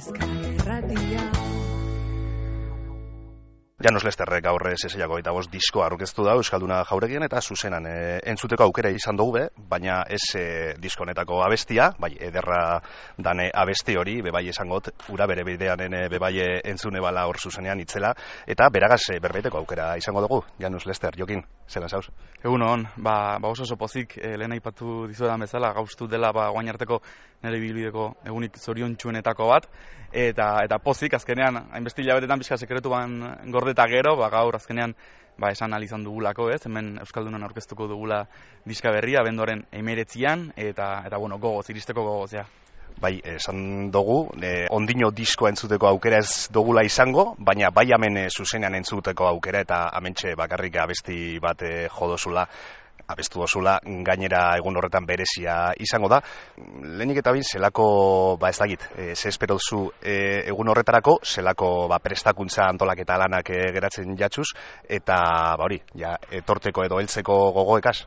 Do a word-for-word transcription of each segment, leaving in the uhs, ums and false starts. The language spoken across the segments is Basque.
Euskal Irratia. Janus Lester gaur seseiako eta bost diskoa aurkeztu da Euskalduna Jauregian eta zuzenan e, entzuteko aukera izan dugu be, baina ez e, disko honetako abestia, bai ederra dane abesti hori, bebai esangot, ura bere bidean ene bebai entzune bala hor zuzenean itzela, eta beragaz e, berbeiteko aukera izango dugu. Janus Lester, Jokin, zelan zauz? Egun hon, ba, ba oso oso pozik, e, lehen aipatu dizuetan bezala, gauztu dela ba, guain arteko nire bilbideko egunik zoriontsuenetako bat, eta eta pozik, azkenean, hainbesti hilabetetan pixka sekretuan gordeta gero, ba, gaur azkenean ba, esan ahal izan dugulako, ez? Hemen Euskaldunan aurkeztuko dugula diska berria, abenduaren hemeretzian, eta, eta bueno, gogoz, iristeko gogoz, ja. Bai, esan dugu, e, ondino diskoa entzuteko aukera ez dugula izango, baina bai hemen e, zuzenean entzuteko aukera, eta hementxe bakarrik abesti bat e, jodozula, abestu dozula, gainera egun horretan berezia izango da. Lehenik eta bin, zelako, ba ez dakit, e, ze espero duzu e, egun horretarako, zelako ba, prestakuntza antolaketa lanak e, geratzen jatzuz, eta ba hori, ja, etorteko edo heltzeko gogoekaz?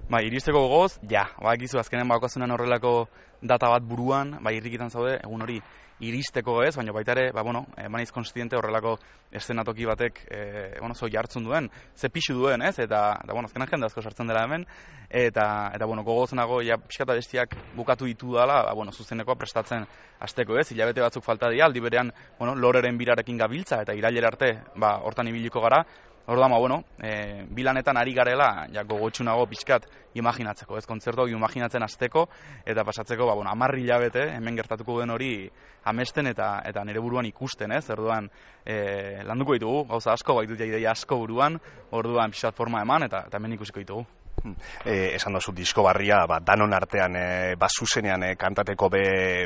Ba, iristeko gogoz, ja, ba, egizu azkenen bakazunan horrelako data bat buruan, ba, irrikitan zaude, egun hori iristeko ez, baina baita ere, ba, bueno, emanaiz konstiente horrelako eszenatoki batek, e, bueno, zo jartzun duen, ze pixu duen, ez, eta, eta bueno, azkenan jende asko sartzen dela hemen, eta, eta bueno, gogozenago, ja, pixkata bestiak bukatu ditu dela, ba, bueno, zuzenekoa prestatzen hasteko ez, hilabete batzuk falta dira, aldi berean, bueno, loreren birarekin gabiltza, eta irailera arte, ba, hortan ibiliko gara. Orduan, ba, bueno, e, bilanetan ari garela, ja, gogotsunago pixkat imaginatzeko, ez kontzertuak imaginatzen hasteko eta pasatzeko, ba, bueno, hamar hilabete hemen gertatuko den hori amesten eta eta nire buruan ikusten, ez? Orduan, e, landuko ditugu, gauza asko, baitut ideia asko buruan, orduan pixkat forma eman eta, eta hemen ikusiko ditugu. Eh, esan dozu disko barria, ba, danon artean, e, ba, zuzenean e, kantateko be,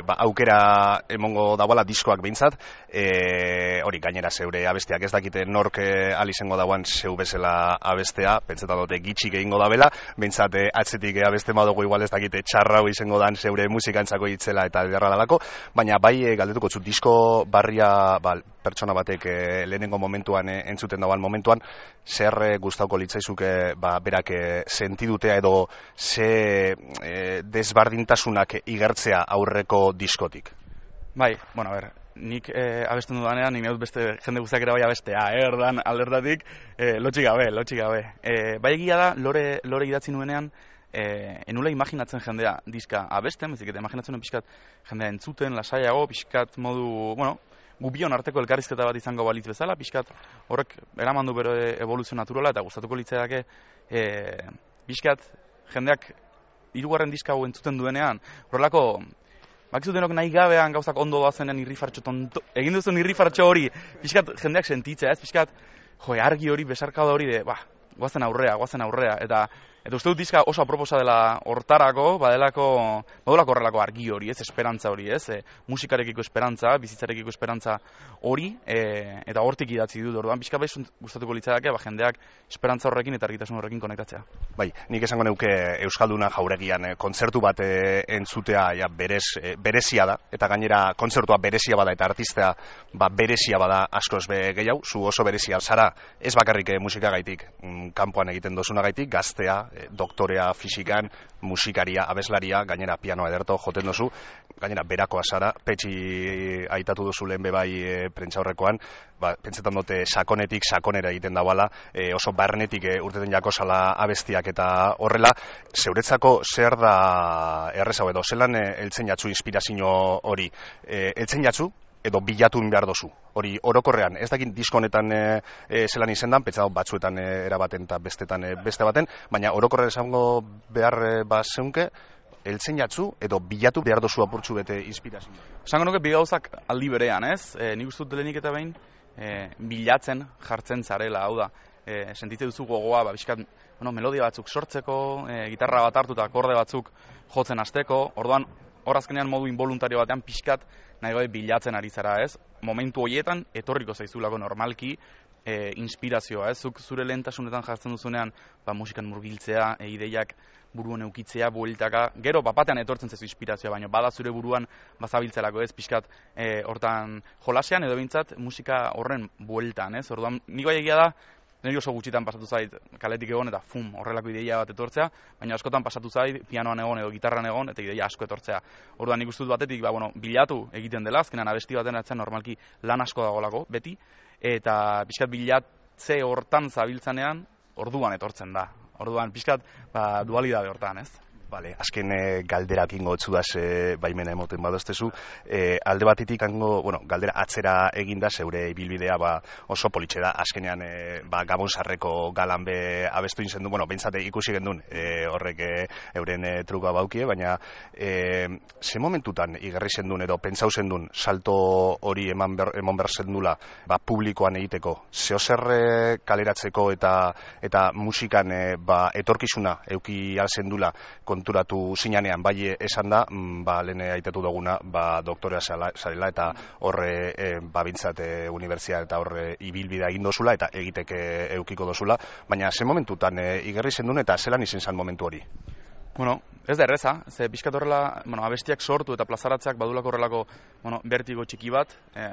ba, aukera emongo dagoela diskoak behintzat, e, hori gainera zeure abesteak ez dakite nork e, alizengo dagoan zeu bezala abestea, pentsetan dute gitxik egingo da bela, behintzat e, atzetik e, abesten badugu igual ez dakite txarrau izango dan zeure musikantzako hitzela eta ederra dalako, baina bai e, galdetuko zu disko barria ba, pertsona batek e, lehenengo momentuan e, entzuten dagoan momentuan, zer e, gustauko litzaizuke ba, berak e, sentidutea edo ze e, desbardintasunak igertzea aurreko diskotik? Bai, bueno, a ber, nik e, abesten dudanean, nik dut beste jende guztiak ere bai abestea, erdan aldertatik, e, lotxik gabe, lotxik gabe. E, bai egia da, lore, lore idatzi nuenean, e, enula imaginatzen jendea diska abesten, bezik eta imaginatzen nuen pixkat jendea entzuten, lasaiago, pixkat modu, bueno, gubion arteko elkarrizketa bat izango balitz bezala, pixkat horrek eraman du bere evoluzio naturala eta gustatuko litzaidake e, pixkat jendeak hirugarren diska hau entzuten duenean, horrelako bakizutenok nahi gabean gauzak ondo doazenean irrifartxo tonto, egin duzun irrifartxo hori, pixkat jendeak sentitzea, ez pixkat, jo, argi hori, besarkada hori de, ba, guazen aurrea, guazen aurrea, eta Eta uste dut diska oso aproposa dela hortarako, badelako, badulako horrelako argi hori, ez, esperantza hori, ez, e, musikarekiko esperantza, bizitzarekiko esperantza hori, e, eta hortik idatzi dut, orduan, pixka bai gustatuko litzadake, ba, jendeak esperantza horrekin eta argitasun horrekin konektatzea. Bai, nik esango neuke Euskalduna Jauregian e, kontzertu bat e, entzutea ja, berez, e, berezia da, eta gainera kontzertua berezia bada eta artistea ba, berezia bada askoz be gehiago, zu oso berezia zara, ez bakarrik e, musikagaitik, mm, kanpoan egiten dozunagaitik, gaztea, doktorea fisikan, musikaria, abeslaria, gainera pianoa ederto joten dozu, gainera berakoa zara, petxi aitatu duzu lehen bebai e, prentxaurrekoan, ba, pentsetan dute sakonetik sakonera egiten dauala, e, oso barnetik e, urteten jako zala abestiak eta horrela, zeuretzako zer da errezau edo, zelan e, eltzen jatzu inspirazio hori, e, eltzen jatzu, edo bilatun behar dozu. Hori orokorrean, ez dakit disko honetan e, e, zelan izendan, pentsa batzuetan e, erabaten eta bestetan e, beste baten, baina orokorrean esango behar e, ba zeunke, eltzen jatzu edo bilatu behar dozu apurtzu bete inspirazio. Esango nuke bi gauzak aldi berean, ez? E, nik uste dut lehenik eta behin e, bilatzen jartzen zarela, hau da. E, sentitze duzu gogoa, ba, bizkat, bueno, melodia batzuk sortzeko, e, gitarra bat hartu eta akorde batzuk jotzen hasteko, orduan, hor azkenean modu involuntario batean pixkat nahi gabe bilatzen ari zara, ez? Momentu horietan etorriko zaizulako normalki e, inspirazioa, ez? Zuk zure lehentasunetan jartzen duzunean, ba, musikan murgiltzea, e, ideiak buruan eukitzea, bueltaka, gero bapatean etortzen zaizu inspirazioa, baina bada zure buruan bazabiltzelako, ez? Pixkat e, hortan jolasean edo bintzat musika horren bueltan, ez? Orduan, nik bai egia da, niri oso gutxitan pasatu zait kaletik egon eta fum, horrelako ideia bat etortzea, baina askotan pasatu zait pianoan egon edo gitarran egon eta ideia asko etortzea. Orduan nik uste dut batetik, ba, bueno, bilatu egiten dela, azkenan abesti baten atzen normalki lan asko dagolako, beti, eta pixkat bilatze hortan zabiltzanean, orduan etortzen da. Orduan pixkat ba, dualidade hortan, ez? Vale, azken e, galderak ingo otzudaz e, baimena emoten badoztezu. E, alde batetik hango, bueno, galdera atzera eginda zeure ibilbidea ba, oso politxe da. Azkenean e, ba, Gabon Sarreko galan be abestu inzen du, bueno, behintzate ikusi gendun e, horrek e, euren e, truka baukie, baina e, ze momentutan igarri zendun edo pentsau zendun salto hori eman ber, emon behar zendula ba, publikoan egiteko. Zeo zer e, kaleratzeko eta eta musikan e, ba, etorkizuna euki alzendula konturatu zinanean, bai esan da, ba, lehen aitatu duguna, ba, doktorea zarela eta horre, e, ba, bintzat, e, unibertsitate eta horre ibilbidea egin dozula eta egiteke eukiko dozula, baina ze momentutan e, igerri zendun eta zelan izen zan momentu hori? Bueno, ez da erreza, ze pixkat horrela, bueno, abestiak sortu eta plazaratzeak badulako horrelako, bueno, bertigo txiki bat, e,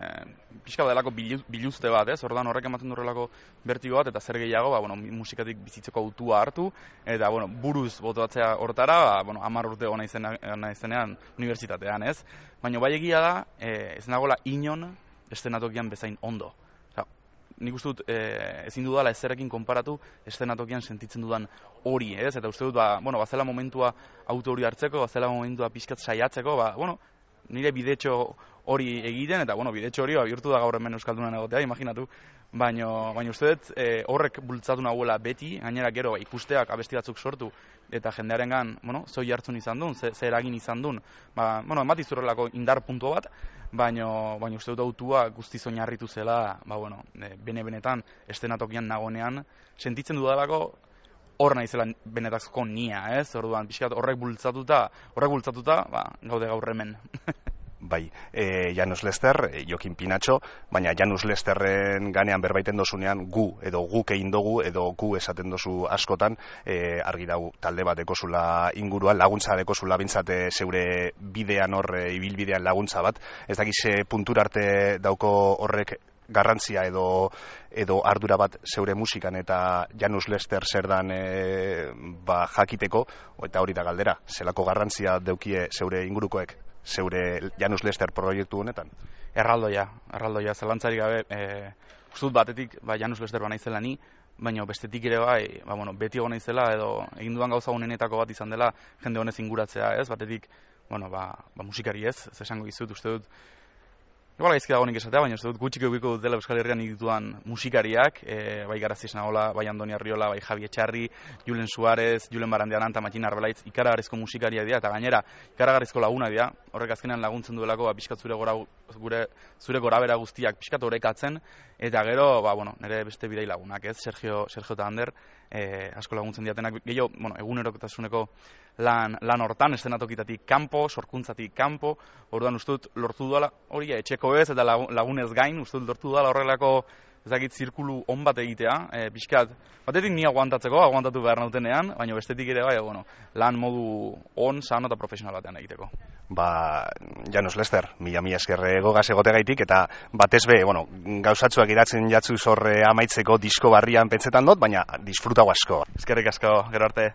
pixka badelako biluzte bat, ez? Ordan horrek ematen du horrelako bertigo bat eta zer gehiago, ba, bueno, musikatik bizitzeko autua hartu eta, bueno, buruz botatzea hortara, ba, bueno, hamar urte ona izenean unibertsitatean, ez? Baina bai egia da, e, ez nagola inon estenatokian bezain ondo. Nik uste dut, e, ezin dudala ezerekin konparatu estenatokian sentitzen dudan hori, ez? Eta uste dut, ba, bueno, bazela momentua auto hori hartzeko, bazela momentua pixkat saiatzeko, ba, bueno, nire bidetxo hori egiten, eta, bueno, bidetxo hori, ba, bihurtu da gaur hemen Euskaldunan egotea, imaginatu, baina baina uste dut, e, horrek bultzatu nahuela beti, gainera gero, ba, ikusteak abesti batzuk sortu, eta jendearengan, bueno, zoi hartzun izan duen, ze, ze eragin izan duen, ba, bueno, ematizurrelako indar puntu bat, baina baina uste dut autua guztiz oinarritu zela, ba, bueno, e, bene-benetan estenatokian nagonean, sentitzen dudalako hor naizela benetazko nia, ez? Orduan, pixkat horrek bultzatuta, horrek bultzatuta, ba, gaude gaur hemen. Bai, e, Janus Lester, e, Jokin Pinatxo, baina Janus Lesterren ganean berbaiten dozunean gu, edo guk egin dugu, edo gu esaten dozu askotan, e, argi dau talde bat ekozula inguruan, laguntza ekozula bintzate zeure bidean horre, ibilbidean laguntza bat, ez dakize puntura arte dauko horrek garrantzia edo edo ardura bat zeure musikan eta Janus Lester zer dan e, ba, jakiteko, eta hori da galdera, zelako garrantzia deukie zeure ingurukoek? Zeure Janus Lester proiektu honetan? Erraldoia, erraldoia, zelantzarik gabe, e, ustut batetik, ba, Janus Lester ba naizela ni, baina bestetik ere bai, ba, bueno, beti egon naizela, edo egin dudan gauza honenetako bat izan dela, jende honez inguratzea, ez, batetik, bueno, ba, ba musikari ez, ez esango izut, uste dut, igual gaizki dago nik esatea, baina uste dut gutxik eukiko dut dela Euskal Herrian dituan musikariak, e, bai Garazi Esnaola, bai Andoni Arriola, bai Javi Etxarri, Julen Suarez, Julen Barandiaranta, Matxin Arbelaitz, ikaragarrizko musikariak dira, eta gainera, ikaragarrizko laguna dira, horrek azkenean laguntzen duelako, ba, pixkat zure gora, gure, zure gorabera guztiak pixkat orekatzen, eta gero, ba, bueno, nire beste bidei lagunak, ez, Sergio, Sergio eta Ander, e, asko laguntzen diatenak, gehiago, bueno, egunerokotasuneko lan, lan hortan, estenatokitatik kanpo, sorkuntzatik kanpo, orduan uste dut lortu duela hori etxeko ez eta lagunez gain, uste dut lortu duela horrelako ezakit zirkulu on bat egitea, e, pixkat, batetik ni aguantatzeko, aguantatu behar nautenean, baina bestetik ere bai, bueno, lan modu on, sano eta profesional batean egiteko. Ba, Janus Lester, mila mila eskerre gogaz egoteagaitik, eta batez be, bueno, gauzatzuak iratzen jatzu zorre amaitzeko disko barrian pentsetan dut, baina disfrutago asko. Eskerrik asko, gero arte.